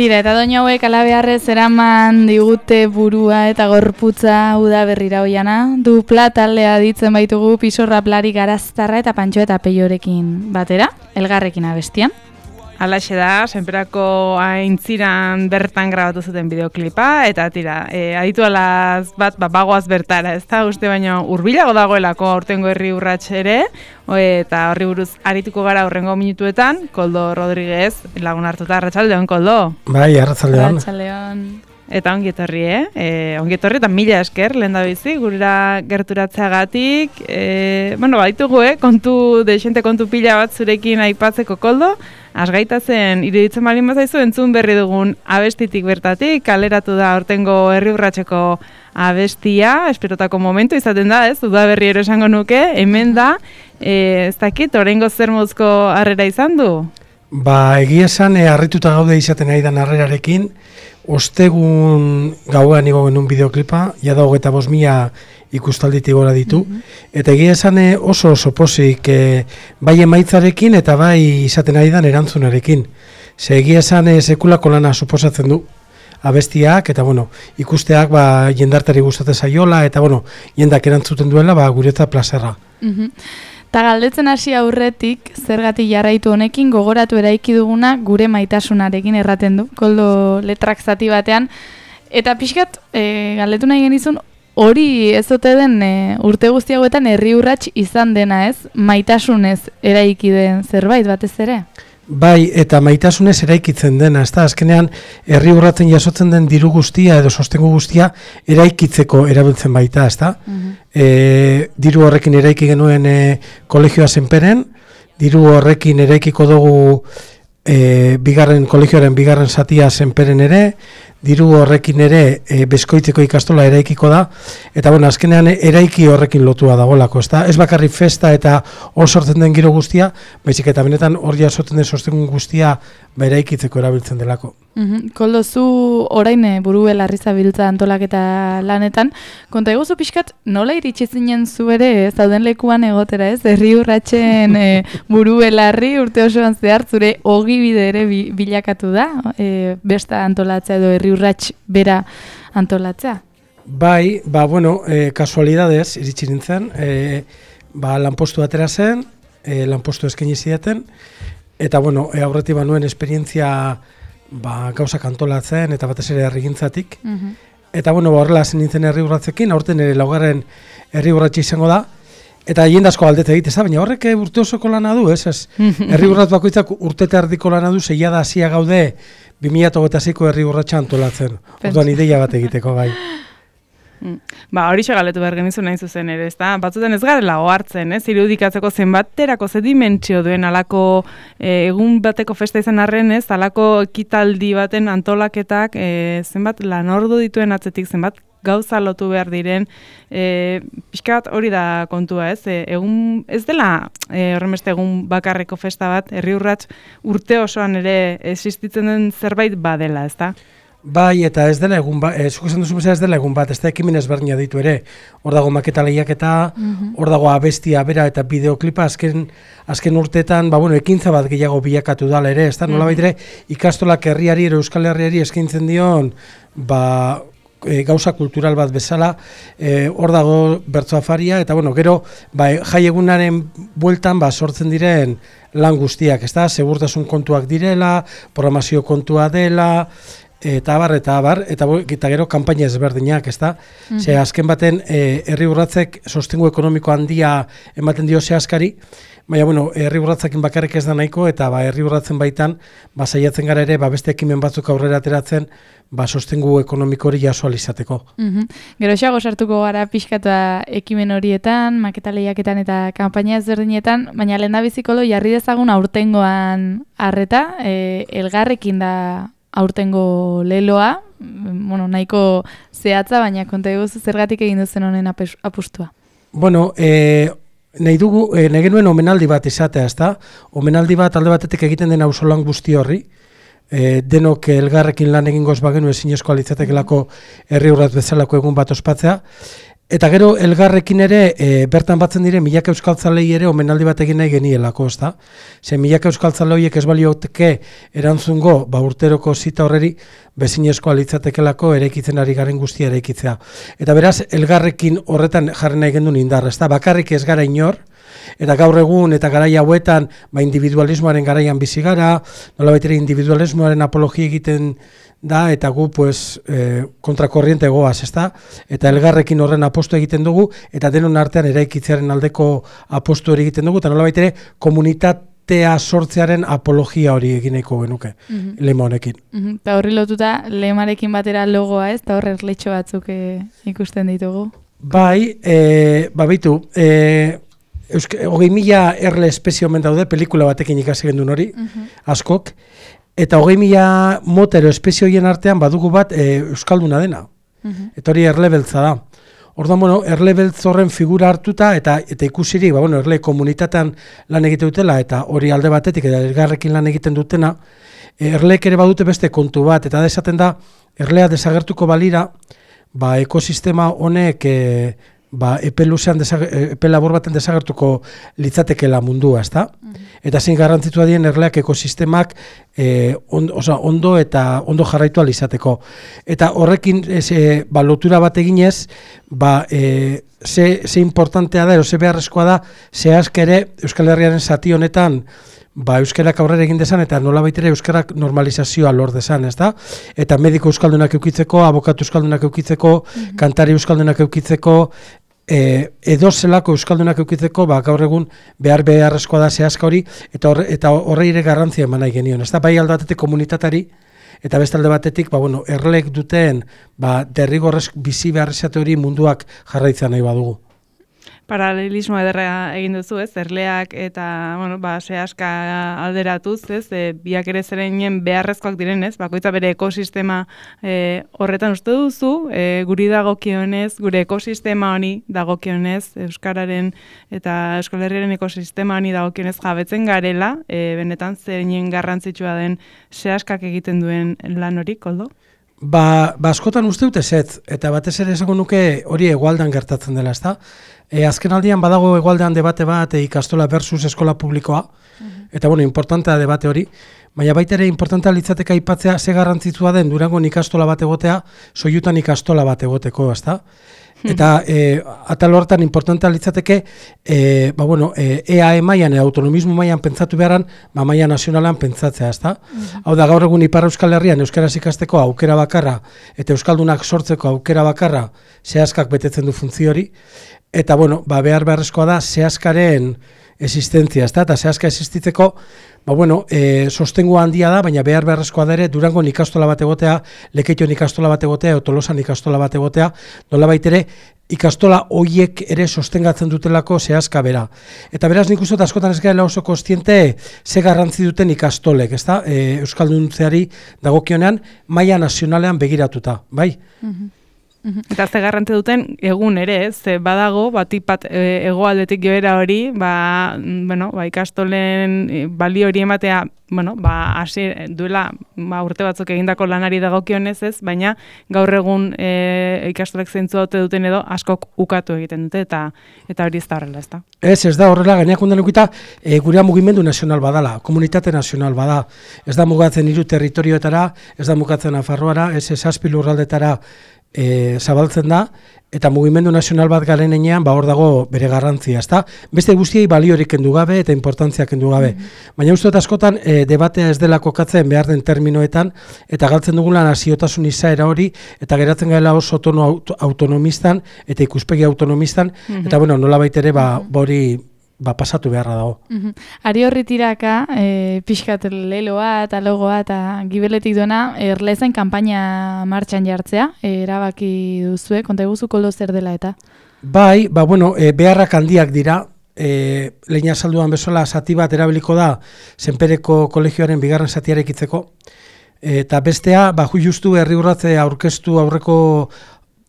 Tira, eta doinu hauek alabeharrez eraman digute burua eta gorputza udaberrira hoiana. Dupla taldea ditzen baitugu Pisorra, Plari, Garaztarra eta Pantxo eta Peiorekin batera, elgarrekin abestian. Alaxe da, senperako aintziran bertan grabatu zuten bideoklipa, eta tira, aditu alaz bat bagoaz bertara, ez da, uste baino hurbilago dagoelako aurtengo herri urrats ere, eta horri buruz arituko gara hurrengo minutuetan, Koldo Rodríguez lagun hartuta. Arratsaldeon, Koldo. Bai, arratsaldeon. Arratsaldeon. Eta ongi etorri, ongi etorri eta mila esker lehendabizi gurera gerturatzeagatik. Baitugu, desente kontu pila bat zurekin aipatzeko, Koldo. Asgaita zen, iruditzen balin bazaizu, entzun berri dugun abestitik bertatik, kaleratu da aurtengo herri urratseko abestia, esperotako momentu izaten da, ez? Udaberri ero esango nuke, hemen da, ez dakit, oraingo zer moduzko harrera izan du? Ba, egia esan, harrituta gaude izaten ari da harrerarekin, ostegun gauean igo genuen bideoklipa, jada 25.000 ikustalditik gora ditu, eta egia esan oso pozik bai emaitzarekin eta bai izaten ari da erantzunarekin. Ze egia esan sekulako lana suposatzen du abestiak, eta ikusteak jendartari gustatzen zaiola, eta jendak erantzuten duela guretzat plazerra. Ta galdetzen hasi aurretik, zergatik jarraitu honekin gogoratu eraiki duguna gure maitasunarekin erraten du, Koldo letrak zati batean. Eta pixkat, galdetu nahi genizun, hori ez ote den urte guzti hauetan herri urrats izan dena, ez? Maitasunez eraiki den zerbait batez ere? Bai, eta maitasunez eraikitzen dena, ez da, azkenean herri urratzen jasotzen den diru guztia edo sostengu guztia eraikitzeko erabiltzen baita, ez da? Diru horrekin eraiki genuen kolegioa Senperen, diru horrekin eraikiko dugu kolegioaren bigarren satia Senperen ere, diru horrekin ere Beskoitzeko ikastola eraikiko da, eta azkenean eraiki horrekin lotua dagoelako, ez bakarrik festa eta hor sortzen den giro guztia, baizik eta benetan hor jasotzen den sostengu guztia eraikitzeko erabiltzen delako. Koldo, zu orain buru belarri zabiltza antolaketa lanetan, konta eguzu pixkat nola iritsi zinen zu ere zauden lekuan egotera, ez? Herri urratsen buru belarri urte osoan zehar zure ogibide ere bilakatu da, besta antolatzea edo herri urrats bera antolatzea? Bai, kasualidadez iritsi nintzen, lanpostu atera zen, lanpostu eskaini zidaten, eta aurretik banuen esperientzia gauzak antolatzen eta batez ere herrigintzatik. Eta horrela zen nintzen herri urratzekin, aurten ere laugarren herri urratxe izango da, eta jende asko galdete egite, baina horrek urte osoko lana du, ez? Herri urratz bakoitzak urte eta erdiko lana du, zeia da hasia gaude 2026ko herri urratsa antolatzen. Orduan ideia bat egiteko gai. Horixe galetu behar genizu nahi zuzen ere, ezta? Batzutan ez garela ohartzen, ez? Irudikatzeko zenbaterako ze dimentsio duen alako egun bateko festa izan arren, ez? Alako ekitaldi baten antolaketak zenbat lanordu dituen atzetik, zenbat gauza lotu behar diren, pixkat hori da kontua, ez? Egun ez dela horrenbeste egun bakarreko festa bat, herri urrats urte osoan ere existitzen den zerbait badela, ezta? Bai, eta ez dela egun bat, zuk esan duzu bezala ez dela egun bat, ez da ekimen ezberdina ditu ere. Hor dago maketa lehiaketa, hor dago abestia bera eta bideoklipa azken urteetan, ekintza bat gehiago bilakatu dala ere, ez da nolabait ere ikastolak herriari, Euskal Herriari eskaintzen dion, gauza kultural bat bezala, hor dago bertsoafaria, eta gero, jai egunaren bueltan sortzen diren lan guztiak, ez da, segurtasun kontuak direla, programazio kontua dela, eta gero kanpaina ezberdinak, ezta? Ze azken baten herri urratzek sostengu ekonomiko handia ematen dio zehazkari, baina herri urratzekin bakarrik ez da nahiko, eta herri urratzen baitan saiatzen gara ere beste ekimen batzuk aurrera ateratzen sostengu ekonomiko hori jaso ahal izateko. Gero xago sartuko gara pixkata ekimen horietan, maketa lehiaketan eta kanpaina ezberdinetan, baina lehendabiziko jarri dezagun aurtengoan arreta, elgarrekin da aurtengo leloa, nahiko zehatza, baina konta eguzu zergatik egin duzen honen apustua. Nahi genuen omenaldi bat izatea, ezta? Omenaldi bat alde batetik egiten den auzolan guzti horri, denok elgarrekin lan egingoz bagenu ezinezkoa litzatekelako herri urratz bezalako egun bat ospatzea, Eta gero elgarrekin ere bertan batzen dire milaka euskaltzalei ere omenaldi bat egin nahi genielako, ezta? Ze milaka euskaltzale horiek ez balioteke erantzungo urteroko zita horreri bezinezkoa litzatekelako eraikitzen ari garen guztia eraikitzea. Eta beraz elgarrekin horretan jarri nahi gendun indar, ezta? Bakarrik ez gara inor, eta gaur egun eta garai hauetan individualismoaren garaian bizi gara, nolabait ere individualismoaren apologia egiten da, eta gu kontrakorriente goaz, ezta? Eta elgarrekin horren apostu egiten dugu, eta denon artean eraikitzearen aldeko apostu hori egiten dugu, eta nolabait ere komunitatea sortzearen apologia hori egin nahiko genuke, lema honekin. Eta horri lotuta, lemarekin batera logoa, ez? Eta horre erletxo batzuk ikusten ditugu. Bai, bitu, 20.000 erle espezio omen daude, pelikula batekin ikasi gendun hori, askok, eta 20.000 motero espezio horien artean badugu bat euskalduna dena. Eta hori erle beltza da. Orduan, erle beltz horren figura hartuta eta ikusiri, erle komunitatean lan egite dutela, eta hori alde batetik, eta elgarrekin lan egiten dutena, erleek ere badute beste kontu bat, eta desaten da, erlea desagertuko balira, ekosistema honek epe labor baten desagertuko litzatekela mundua, ezta? Eta zein garrantzitua dien erleak ekosistemak ondo eta ondo jarraitu izateko. Eta horrekin lotura bat eginez, ze importantea da, ze beharrezkoa da, zehazk ere Euskal Herriaren zati honetan euskarak aurrera egin dezan, eta nolabait ere euskarak normalizazioa lor dezan, ezta? Eta mediko euskaldunak eukitzeko, abokatu euskaldunak eukitzeko, kantari euskaldunak eukitzeko, edo zelako euskaldunak eukitzeko, gaur egun beharrezkoa da zehazka hori, eta horre ere garrantzia eman nahi genion, ezta? Bai alde batetik komunitatari, eta bestalde batetik, erlek duten derrigorrez bizi beharrezate hori munduak jarraitzea nahi badugu. Paralelismo ederra egin duzu, ez? Erleak eta, zehazka alderatuz, ez? Biak ere zereinen beharrezkoak direnez, bakoitza bere ekosistema horretan uste duzu, guri dagokionez, gure ekosistema honi dagokionez, euskararen eta Euskal Herriaren ekosistema honi dagokionez jabetzen garela, benetan zereinen garrantzitsua den zehazkak egiten duen lan hori, Koldo? Askotan uste dut ezetz, eta batez ere esango nuke hori hegoaldean gertatzen dela, ezta? Azken aldian badago hegoaldean debate bat ikastola versus eskola publikoa, eta importantea debate hori, baina baita ere importantea litzateka aipatzea ze garrantzitsua den Durangon ikastola bat egotea, Soiutan ikastola bat egoteko, ezta? Eta atal horretan importantea litzateke EAE mailan, autonomismo mailan pentsatu beharan, maila nazionalan pentsatzea, ezta? Hau da, gaur egun Ipar Euskal Herrian euskaraz ikasteko aukera bakarra eta euskaldunak sortzeko aukera bakarra zehazkak betetzen du funtzio hori, eta beharrezkoa da zehazkaren existentzia, ezta? Eta zehazka existitzeko sostengu handia da, baina beharrezkoa da ere Durangon ikastola bat egotea, Lekeition ikastola bat egotea, Tolosan ikastola bat egotea, nolabait ere ikastola hoiek ere sostengatzen dutelako zehazka bera. Eta beraz nik uste askotan ez garela oso kontziente ze garrantzi duten ikastolek, ezta? Euskalduntzeari dagokionean maila nazionalean begiratuta, bai? Eta ze garrante duten egun ere, ze badago, batipat hegoaldetik joera hori, ikastolen balio hori ematea, hasi duela urte batzuk egindako lanari dagokionez ez, baina gaur egun ikastolek zeintzu duten edo askok ukatu egiten dute, eta hori ez da horrela, ez da? Ez da horrela, gaineak undan ukita, gurea mugimendu nazional badala, komunitate nazional bada, ez da mugatzen 3 territorioetara, ez da mugatzen Nafarroara, ez 7 lurraldetara zabaltzen da, eta mugimendu nazional bat garen enean, hor dago bere garrantzia, ezta? Beste guztiei baliorik kendu gabe eta importantzia kendu gabe. Baina uste dut askotan debatea ez dela kokatzen behar den terminoetan, eta galtzen dugula naziotasun izaera hori, eta geratzen gaela oso tono autonomistan, eta ikuspegi autonomistan, eta nola baitere hori pasatu beharra dago. Ari horri tiraka, pixkat leloa eta logoa eta gibeletik duena, erlezen kanpaina martxan jartzea, erabaki duzue, konta eguzu Koldo zer dela eta? Bai, beharrak handiak dira, lehena salduan bezala zati bat erabiliko da Senpereko kolegioaren 2. zatia eraikitzeko, eta bestea, justu herri urratze aurkeztu aurreko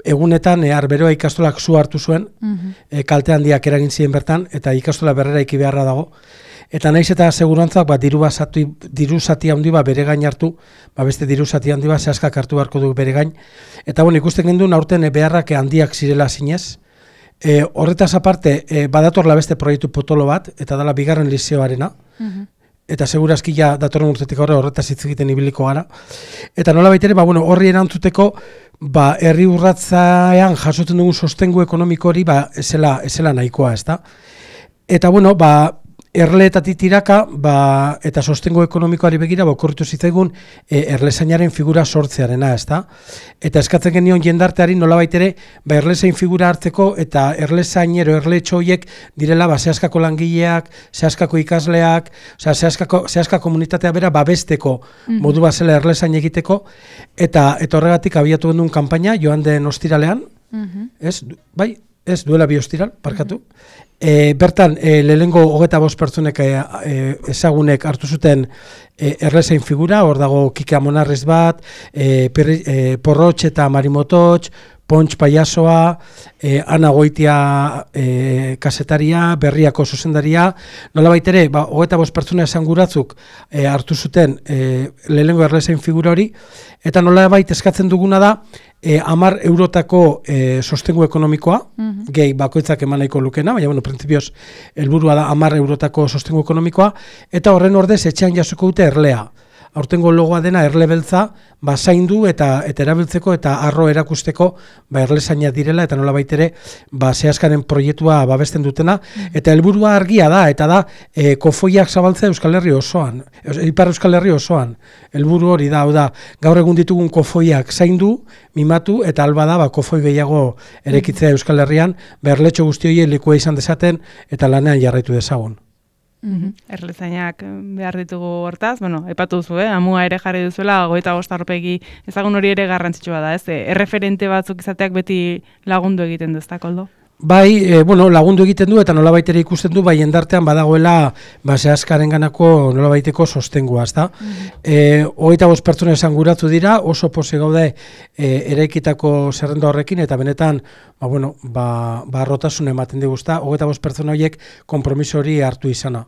egunetan Arberoa ikastolak zu hartu zuen, kalte handiak eragin ziren bertan, eta ikastola berrera iki beharra dago. Eta naiz eta segurantzak diru zati handi bere gain hartu, beste diru zati handi zehazkak hartu beharko du bere gain. Eta ikusten genduen aurten beharrak handiak zirela zinez, Horretaz aparte, badatorla beste proiektu potolo bat, eta dela bigarren lizeoarena, eta segurazki ja datorren urtetik horretaz hitz egiten ibiliko gara. Eta nola baitere, horri erantzuteko, herri urratzean jasotzen dugun sostengu ekonomiko hori, esela nahikoa, ezta? Eta, erleetatik tiraka, eta sostengo ekonomikoari begira, okorritu zitzaigun erlezainaren figura sortzearena, ezta? Eta eskatzen genion jendarteari nolabait ere, erlezain figura hartzeko, eta erlezainero, erletxo horiek direla, zehaskako langileak, zehaskako ikasleak, zehaska komunitatea bera babesteko modu bazela erlezain egiteko, eta horregatik abiatu gendun kanpaina, joan den ostiralean, ez duela bi ostiral, parkatu. Bertan, lehenengo 25 pertsonek ezagunek hartu zuten erlezain figura, hor dago Kike Amonarriz bat, Porrotx eta Marimototx, Pontx Paiasoa, Ana Goitia kasetaria, Berriako zuzendaria, nolabait ere, 25 pertsona esanguratzuk hartu zuten lehenengo erlezain figura hori, eta nolabait eskatzen duguna da, 10 eurotako sostengu ekonomikoa, gehi bakoitzak eman nahiko lukena, baina, printzipioz, helburua da 10 eurotako sostengu ekonomikoa, eta horren ordez etxean jasoko dute erlea. Aurtengo logoa dena erle beltza, zaindu eta erabiltzeko eta arro erakusteko erlezaina direla, eta nola baitere zehaskaren proiektua babesten dutena, eta helburua argia da, eta da kofoiak zabaltzea Euskal Herri osoan, Ipar Euskal Herri osoan. Helburu hori da, gaur egun ditugun kofoiak zaindu, mimatu, eta alba da kofoi gehiago erekitzea Euskal Herrian, erletxo guzti horiek lekua izan dezaten, eta lanean jarraitu dezagun. Erlezainak behar ditugu hortaz, epatu duzu, amua ere jarri duzuela, 25 aurpegi ezagun hori ere garrantzitsua da, ez? Erreferente batzuk izateak beti lagundu egiten du, ez da, Koldo? Lagundu egiten du eta nolabait ere ikusten du, jendartean badagoela zehaskaren ganako nolabaiteko sostengua, ez da? 25 pertsona esanguratu dira, oso pose gaude eraikitako zerrenda horrekin, eta benetan, rotasun ematen diguzta, 25 pertsona horiek konpromiso hori hartu izana.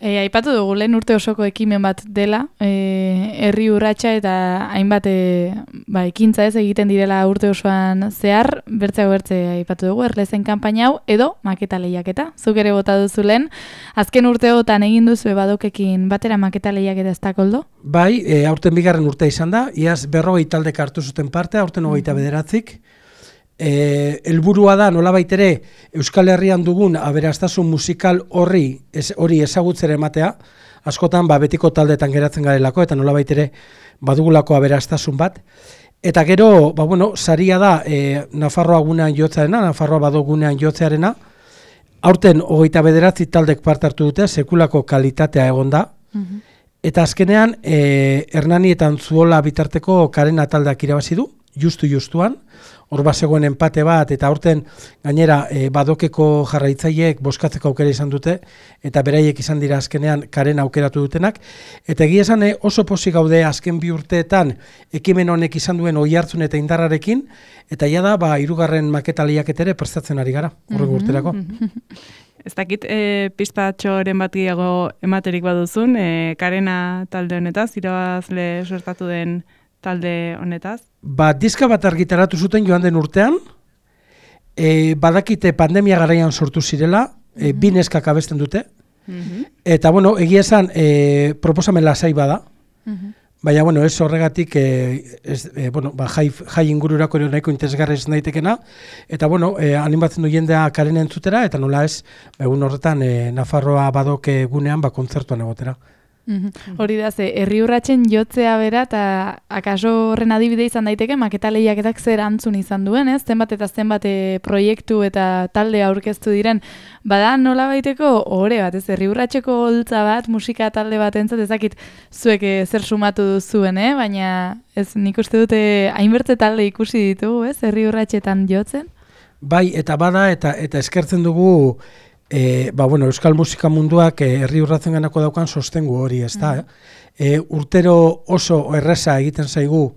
Aipatu dugu lehen urte osoko ekimen bat dela, herri urratsa eta hainbat ekintza ez egiten direla urte osoan zehar, bertzeago bertze aipatu dugu, erlezen kanpaina hau, edo maketa lehiaketa, zuk ere bota duzu lehen, azken urteotan egin duzu badokekin batera maketa lehiaketa ez da, Koldo? Bai, aurten bigarren urtea izan da, iaz 40 taldek hartu zuten parte, aurten 29. Helburua da nolabait ere Euskal Herrian dugun aberastasun musikal hori ezagutzera ematea, askotan betiko taldeetan geratzen garelako eta nolabait ere badugulako aberastasun bat. Eta gero, saria da Nafarroa gunean jotzearena, Nafarroa badogunean jotzearena. Aurten 29 taldek parte hartu dute, sekulako kalitatea egon da. Eta azkenean Hernani eta Antzuola bitarteko Karena taldeak irabazi du, justuan. Hor bazegoen enpate bat, eta aurten gainera badokeko jarraitzaileek bozkatzeko aukera izan dute, eta beraiek izan dira azkenean Karena aukeratu dutenak. Eta egia esan oso pozik gaude azken 2 urteetan ekimen honek izan duen oihartzun eta indarrarekin, eta jada 3. maketa lehiaketa ere prestatzen ari gara, horrek urterako. Ez dakit, pizpatxoren bat gehiago ematerik baduzun, Karena talde honetaz, irabazle suertatu den talde honetaz? Diska bat argitaratu zuten joan den urtean, badakite pandemia garaian sortu zirela, 2 neskak abesten dute, eta egia esan proposamen lasai bada, baina ez horregatik jai ingururako ere nahiko interesgarri ez daitekena, eta animatzen du jendea Karena entzutera, eta nola ez, egun horretan Nafarroa badoke gunean kontzertuan egotera. Hori da, herri urratsen jotzea bera, eta akaso horren adibide izan daiteke, maketa lehiaketak zer antzun izan duen, ez? Zenbat eta zenbat proiektu eta talde aurkeztu diren, bada nola baiteko ohore bat, ez? Herri urratseko holtza bat, musika talde bat entzat, ezakit zuek zer sumatu duzuen, baina ez nik uste dute hainbertze talde ikusi ditugu, ez? Herri urratsetan jotzen? Bai, eta bada, eta eskertzen dugu Euskal musika munduak herri urratzen ganako daukan sostengu hori, ez da. Urtero oso erreza egiten zaigu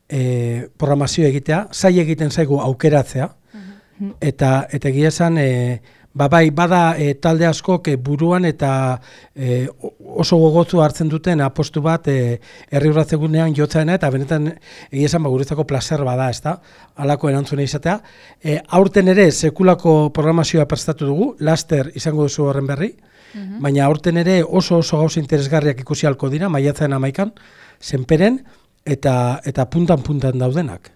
programazio egitea, zai egiten zaigu aukeratzea, eta egia esan bai, bada talde askok buruan eta oso gogozu hartzen duten apostu bat herri urratzegunean jotzaena, eta benetan egia esan guretzako placer bada, ezta? Halako erantzuna izatea. Aurten ere sekulako programazioa prestatu dugu, laster izango duzu horren berri, baina aurten ere oso gauza interesgarriak ikusi halko dira, maiatzaren 11an, Senperen, eta puntan daudenak.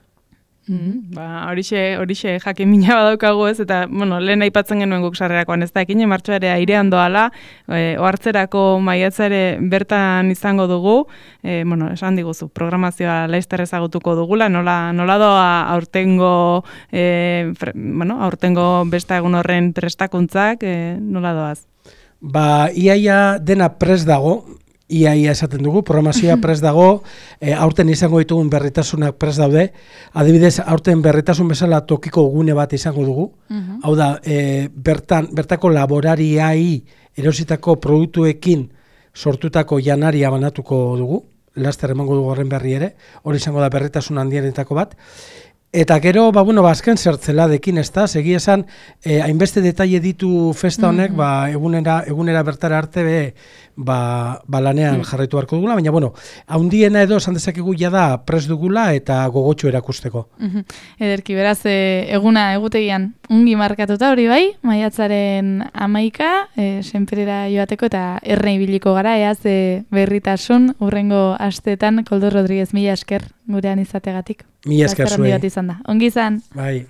Horixe jakin mina badaukagu ez, eta lehen aipatzen genuen guk sarrerakoan, ez da, ekin martxoa ere airean doala, ohartzerako maiatza ere bertan izango dugu, esan diguzu, programazioa laizter ezagutuko dugula, nola doa aurtengo besta egun horren prestakuntzak, nola doaz? Iaia dena prest dago, Ia esaten dugu, programazioa prest dago, aurten izango ditugun berritasunak prest daude, adibidez, aurten berritasun bezala tokiko gune bat izango dugu, hau da, bertako laborariai erositako produktuekin sortutako janaria banatuko dugu, laster emango dugu horren berri ere, hori izango da berritasun handienetako bat. Eta gero, azken zertzeladekin, ez da, segi esan, hainbeste detaile ditu festa honek, egunera bertara arte lanean jarraitu beharko dugula, baina, haundiena edo esan dezakegu jada prest dugula eta gogotxo erakusteko. Ederki, beraz, egutegian ungi markatuta hori bai, maiatzaren 11, Senperera joateko eta erne ibiliko gara, eaz berritasun, hurrengo asteetan, Koldo Rodriguez, mila esker gurean izategatik. Mila esker zuei. Ongi izan. Bai.